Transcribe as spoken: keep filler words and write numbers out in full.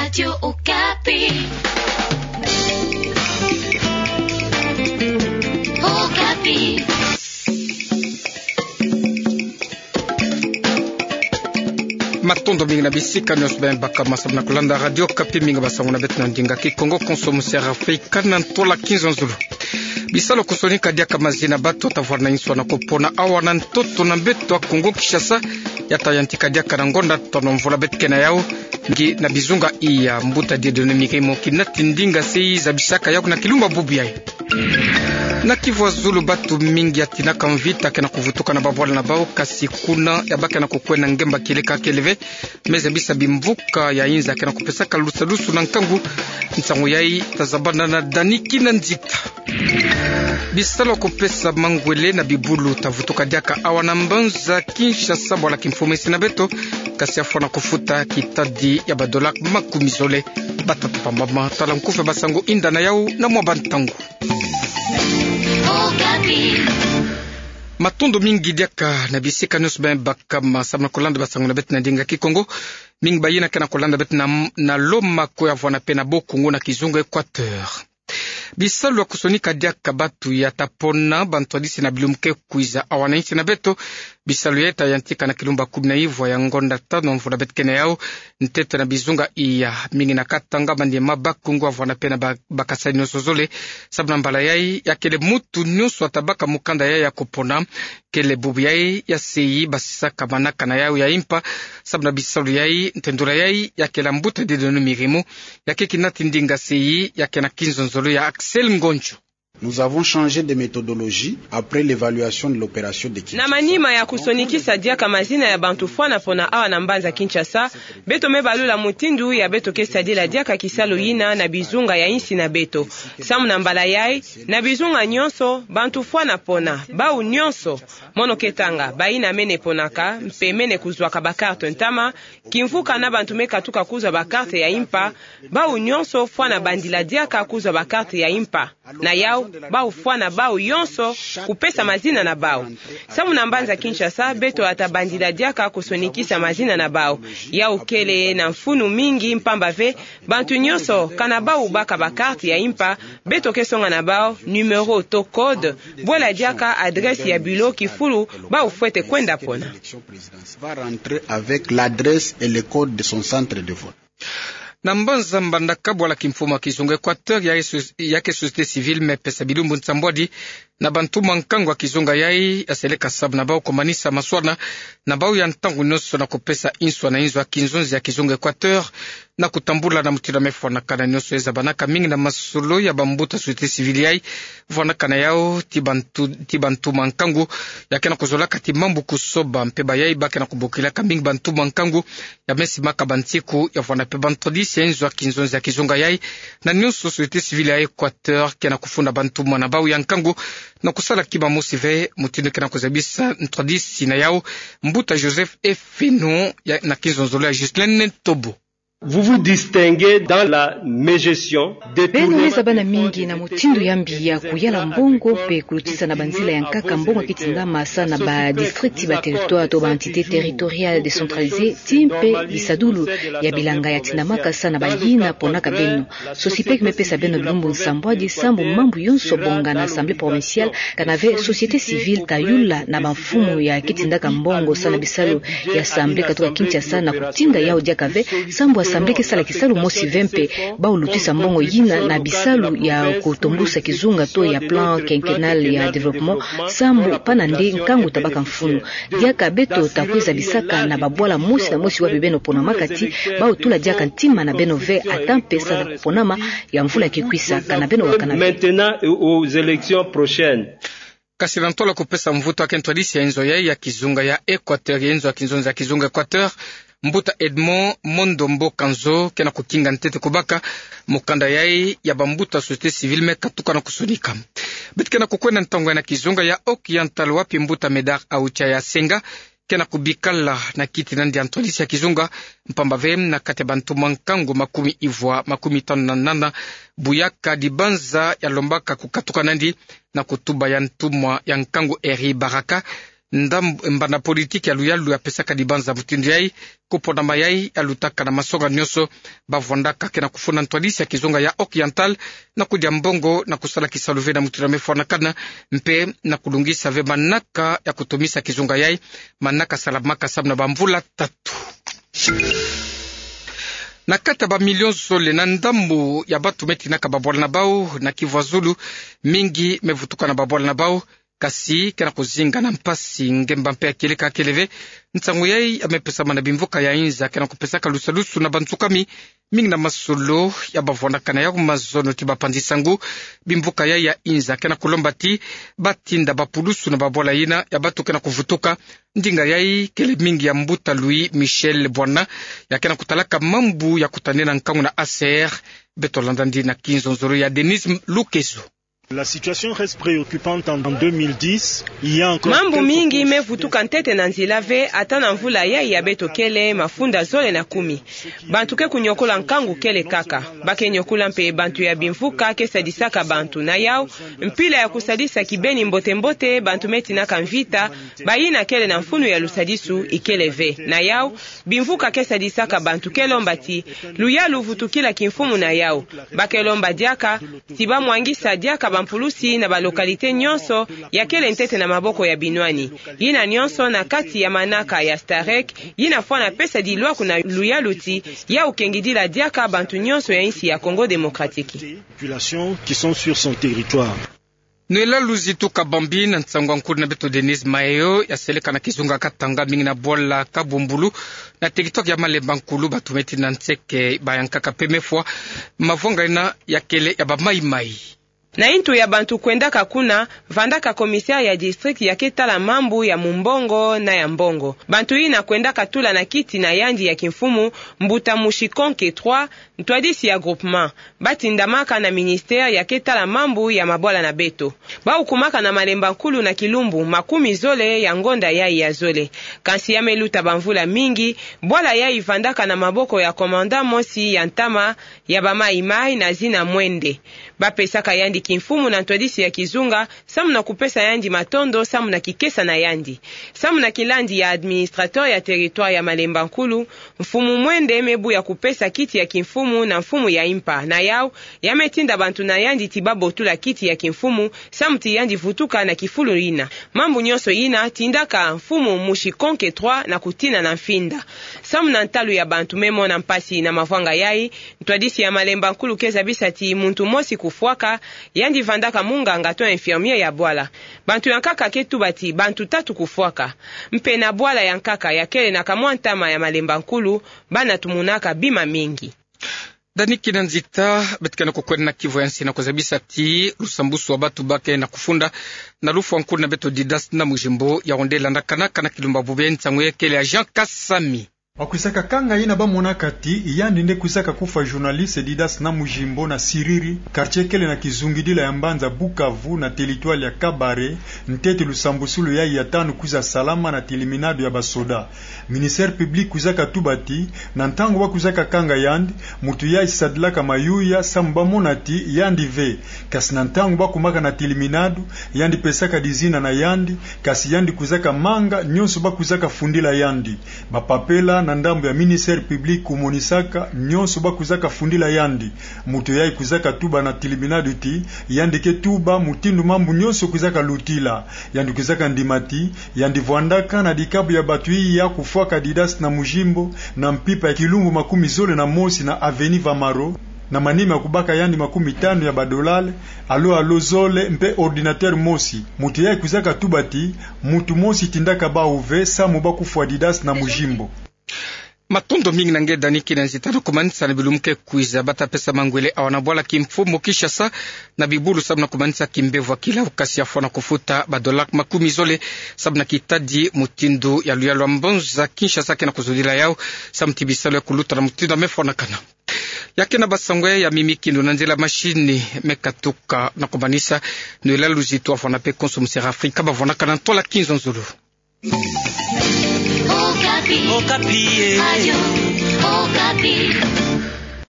Radio Okapi. Okapi. Matondo mingi na bisika nyonso beno baka masamu na kulanda Radio Okapi, mingi basango na beto na ndinga Kikongo, konso musi ya Afrika na ntola Kinzonzolo. Bisalu kusonika diaka mazina batu tavwara na inswa na kupona awa na ntoto na mbeto ya Kongo Kinshasa, ya tayantika diaka na ngonda tano mvula beto ke na yau, ngi na bizunga iya. Mbuta Dieudonné Mirimo kinati ndinga se i zabisaka yau na kilumba bubu yayi. Na Kivu ya Zulu batu mingi ya tinaka mvita ke na kuvutuka na babwala na bau, kasi kuna ya baka na kukwenda ngemba kieleka kele ve, me zabisa bimvuka ya inza ke na kupesaka lusalusu na nkangu. Nsangu yayi tazabana na Dani Kinanzita. Bisalu ya kupesa mangwele na bibulu tavutuka diaka awa na mbanza Kinshasa, bwala kimfumu esi na beto, kasi ya fwana kufuta kitadi ya ba dollars makumi zole. Batata pamba ma tala nkufi ya basango, inda na yau na mwa bantangu. Matondo mingi diaka na bisika nyonso beno baka masamu na kulanda basango na beto na ndinga Kikongo. Mingi bayina ke na kulanda beto na, na Lomako ya vwanda pe na Bas-Congo na kizunga Équateur. Bisalu ya kusonika diaka batu ya tapona bantwadisi na bilumbu ke kwiza awa na insi na beto. Bisalu yayi tayantika na kilumba kumi na ivwa ya ngonda tano mvula beto ke na yau, ntete na bizunga iya. Mingi na Katanga, Maniema, Bas-Congo ya vwanda pe na ba-, bakasai nyonso zole. Samu na mbala yayi ya kele mutu nyonso atabaka mukanda yayi ya kupona. Kele bubu yayi ya sei basisaka manaka na yau ya impa. Samu na bisalu yayi, ntendula yayi ya kele mbuta Dieudonné Mirimo, ya ke kinati ndinga sei ya ke na kinzonzolo ya Axel Ngonjo. Nous avons changé de méthodologie après l'évaluation de l'opération de Kinshasa. Na manima ya kusonikisa diaka mazina ya bantu fwana pona awa na mbanza Kinshasa, beto me balula mutindu ya beto ke sadila diaka kisalu yina na bizunga ya insi na beto. Samu na mbala yayi, na bizunga nyonso, bantu fwana pona, bau nyonso, mono ke tanga, bayina mene ponaka, mpe mene kuzwaka ba carte ntama, kimvuka na bantu me katuka kuzwa ba carte ya impa, bau nyonso fwana bandila diaka kuzwa ba carte ya impa. Na yau, bau fwana bau yonso kupesa mazina na bau. Samu na mbanza Kinshasa, beto ata bandila diaka kusonikisa mazina na bau. Yau kele na mfunu mingi mpamba ve, bantu nyonso, kana bau baka ba carte ya impa, beto ke songa na bau numéro to code, bwela diaka adresse ya bureau kifulu bau fwete kwenda pona. Va rentrer avec l'adresse et le code de son centre de vote. Na mbanza Mbandaka, bwala kimfumu ya kizunga Équateur, ya ke so-, ya ke société civile me pesa bilumbu nsambwadi na bantu mwa nkangu ya kizunga yayi, ya seleka samu na bau kumanisa maswana na bau ya ntangu nyonso na kupesa inswa na inzo ya kinzonzi ya kizunga Équateur, na kutambula na mutindu ya me fwanakana nyonso ye zabanaka mingi na masolo ya bambuta société civile yayi. Fwanakana yau ti bantu, ti bantu mwa nkangu ya ke na kuzolaka ti mambu kusoba, mpe bayayi ba ke na kubokilaka mingi bantu mwa nkangu ya me simaka bansiku ya fwana mpe bantwadisi ya inzo ya kinzonzi ya kizunga yayi. Na nyonso société civile ya Équateur ke na kufunda bantu mwa na bau ya nkangu na kusala kima mosi ve, mutindu ke na kuzabisa ntwadisi na yau, mbuta Joseph Efeno, ya, na kinzonzolo ya Ghislaine Ntobo. Vous vous distinguez dans la mégestion, beno me zabana mingi na mutindu ya mbi ya kuyala mbongo mpe kulutisa na banzila ya nkaka mbongo ya ke tindama sa na ba district, ba territoire to ba entité territoriale décentralisée, ti mpe bisadulu ya bilanga ya tindamaka sa na bayina ponaka beno. SOSYPEC me pesa beno bilumbu nsambwadi sambu mambu yonso bonga na Assemblée provinciale, kana ve société civile ta yula na bamfumu ya ke tindaka mbongo sa na bisalu ya Assemblée katuka Kinshasa na kutinga yau diaka ve, sambu Assemblée ke sala kisalu mosi ve mpe bau lutisa mbongo yina na bisalu ya kutombusa kizunga to ya plan quinquennal ya développement, sambu pana nde nkangu ta baka mfunu. Diaka beto ta kwiza bisaka na babwala mosi na mosi wapi beno ponamaka ti bau tula diaka ntima na beno ve, ata mpe sa na kuponama ya mvula ke kwisa, kana beno wakana ve. Maintenant aux élections prochaines. Kasi na ntola kupesa mvutu ya ke ntwadisi ya inzo yayi ya kizunga ya Équateur, ya inzo ya kinzonzi ya kizunga Équateur, mbuta Edmond Mondo Mbokanzo ke na kukinga ntete kubaka mukanda yayi ya bambuta société civile me katuka na kusonika. Beto ke na kukwenda ntangu ya na kizunga ya Occidental wapi mbuta Médard Aoucha ya Senga ke na kubikala na kiti nandi ya ntwadisi ya kizunga, mpamba ve na kati ya bantu mwa nkangu makumi ivwa, makumi tanu na nana, buyaka dibanza ya lombaka kukatuka nandi na kutuba ya ntumwa ya nkangu Henri Baraka, ndam-, mbana politiki ya luyalu ya pesaka dibanza mutindu yai, kupona mayai ya lutaka na masonga nyonso, bavwandaka ke na kufunda ntwadisi ya kizunga ya Occidental, na kudia mbongo, na kusala kisalu ve na mutindu ya mefwanakana, mpe na kulungisa ve manaka ya kutumisa kizunga yai, manaka salamaka samu na bamvula tatu. Na kati ya bamilio zole na ndambu ya bantu me tinaka babwala na bau na Kivu ya Zulu, mingi me vutuka na babwala na bau, kasi ke na kuzinga na mpasi, ngemba mpe ya kieleka kele ve. Nsangu yai ya me pesama na bimvuka ya inza ke na kupesaka lusadusu na bansukami, mingi na masolo ya bavwandakana ya mazono ti bapanzi sangu. Bimvuka yai ya inza ke na kulomba ti batinda bapulusu na babwala yina ya bantu ke na kuvutuka. Ndinga yai kele mingi ya mbuta Louis Michel Bwana, ya ke na kutalaka mambu ya kutadila nkangu na A C R. Beto landa yandi na kinzonzolo ya Denise Lukezo. La situation reste préoccupante en, en deux mille dix. Il y a encore... Mambu mingi me vutuka ntete na nzila ve, ata na mvula yai ya beto kele mafunda zole na kumi. Bantu ke kuniokola nkangu kele kaka. Ba ke niokola mpe bantu ya bimvuka ke sadisaka bantu. Na yau, mpila ya kusadisa kibeni mbote-mbote bantu me tinaka mvita, bayina kele na mfunu ya lusadisu ikele ve. Na yau, bimvuka ke sadisaka bantu ke lomba ti luyalu vutukila kimfumu na yau. Ba ke lomba diaka ti bamwangisa diaka bampulusi na balocalité nyonso ya kele ntete na maboko ya binwani. Yina nyonso na kati ya manaka ya STAREC, yina fwana pesa dilwaku na luyalu ti yau kengidila diaka bantu nyonso ya insi ya Congo Démocratique. Populations qui sont sur son territoire. Nwela luzitu kabambi na nsangu ya nkulu na beto Denise Mayo, ya seleka na kizunga Katanga, mingi na bwala Kabumbulu, na territoire ya Malemba Nkulu, bantu me tina nseke, ba ya nkaka mpe me fwa. Mavanga yina ya kele ya ba Maï-Maï. Na intu ya bantu kwendaka kuna, vandaka commissaire ya district ya ke tala mambu ya mumbongo na ya mbongo. Bantu yina kwendaka tula na kiti na yandi ya kimfumu, mbuta Mushikonke trois, ntwadisi ya groupement. Ba tindamaka na ministère ya ke tala mambu ya mabwala na beto. Ba ukumaka na Malemba Nkulu na kilumbu makumi zole ya ngonda yai ya zole. Kansi ya me luta bamvula mingi, bwala yai vandaka na maboko ya commandant mosi ya ntama ya ba Maï-Maï na zina Mwende. Ba pesaka yandi kimfumu na ntwadisi ya kizunga, samu na kupesa yandi matondo, samu na kikesa na yandi. Samu na kilandi ya administrateur ya territoire ya Malemba Nkulu, mfumu Mwende me buya kupesa kiti ya kimfumu na mfumu ya impa. Na yau, ya me tinda bantu na yandi ti ba botula kiti ya kimfumu, samu ti yandi vutuka na kifulu yina. Mambu nyonso yina tindaka mfumu Mushikonke trois na kutina na mfinda. Samu na ntalu ya bantu me mona mpasi na mavanga yai, ntwadisi ya Malemba Nkulu ke zabisa ti muntu mosi kufwaka, yandi vandaka munganga to infirmier ya bwala. Bantu ya nkaka ke tuba ti bantu tatu kufwaka. Mpe na bwala ya nkaka ya kele na kamwa ntama ya Malemba Nkulu, bana tumunaka bima mingi. Dani Kinanzita, beto ke na kukwenda na kivo ya nsi na kuzabisa ti lusambusu wa bantu ba ke na kufunda na lufwa nkulu na beto Didas na Mujimbo, ya wonde landakanaka na kilumba bubu, nsangu ya kele ya Jean Kasami. Ba kwizaka kanga yina ba monaka ti yandi nde kwizaka kufwa journaliste Didas na Mujimbo na Siriri, quartier kele na kizungidila ya mbanza Bukavu na territoire ya Kabare, ntete lusambusulu yai ya tanu kwiza salama na tiliminado ya basoda. Ministère public kwizaka tuba ti, na ntangu ba kwizaka kanga yandi, muntu yai sadilaka mayuya samu ba mona ti yandi ve. Kasi na ntangu ba kumaka na tiliminado, yandi pesaka dizina na yandi, kasi yandi kwizaka manga nyonso ba kwizaka fundila yandi. Bapapela na ndambu ya ministère public kumonisaka nyonso ba kwizaka fundila yandi. Muntu yai kwizaka tuba na tiliminado ti, yandi ke tuba mutindu mambu nyonso kwizaka lutila. Yandi kwizaka ndima ti, yandi vwandaka na dikabu ya bantu iya kufwaka Didas na Mujimbo, na mpimpa ya kilumbu makumi zole na mosi na avenue Vamaro, na manima ya kubaka yandi makumi tanu ya badolale, alo alo zole, mpe ordinateur mosi. Muntu yai kwizaka tuba ti, muntu mosi tindaka bau ve samu ba kufwa Didas na Mujimbo. Matondo mingi na nge Dani Kinanzita, na kumanisa na bilumbu ke kwiza ba ta pesa mangwele awa na bwala kimfumu Kinshasa na bibulu samu na kumanisa kimbevo ya kilau, kasi ya fwana kufuta badola makumi zole samu na kitadi mutindu ya luyalu ya mbanza Kinshasa ke na kuzodila yau, samu ti bisalu ya kuluta na mutindu ya me fwanakana. Ya ke na basango ya mimi kindo na nzila machine me katuka, na kumanisa, nwela luzitu wa fwana mpe konso mu Sera Afrika ba fwanakana ntwala kinzonzolo. Okapi. Okapi, eh. Radio Okapi.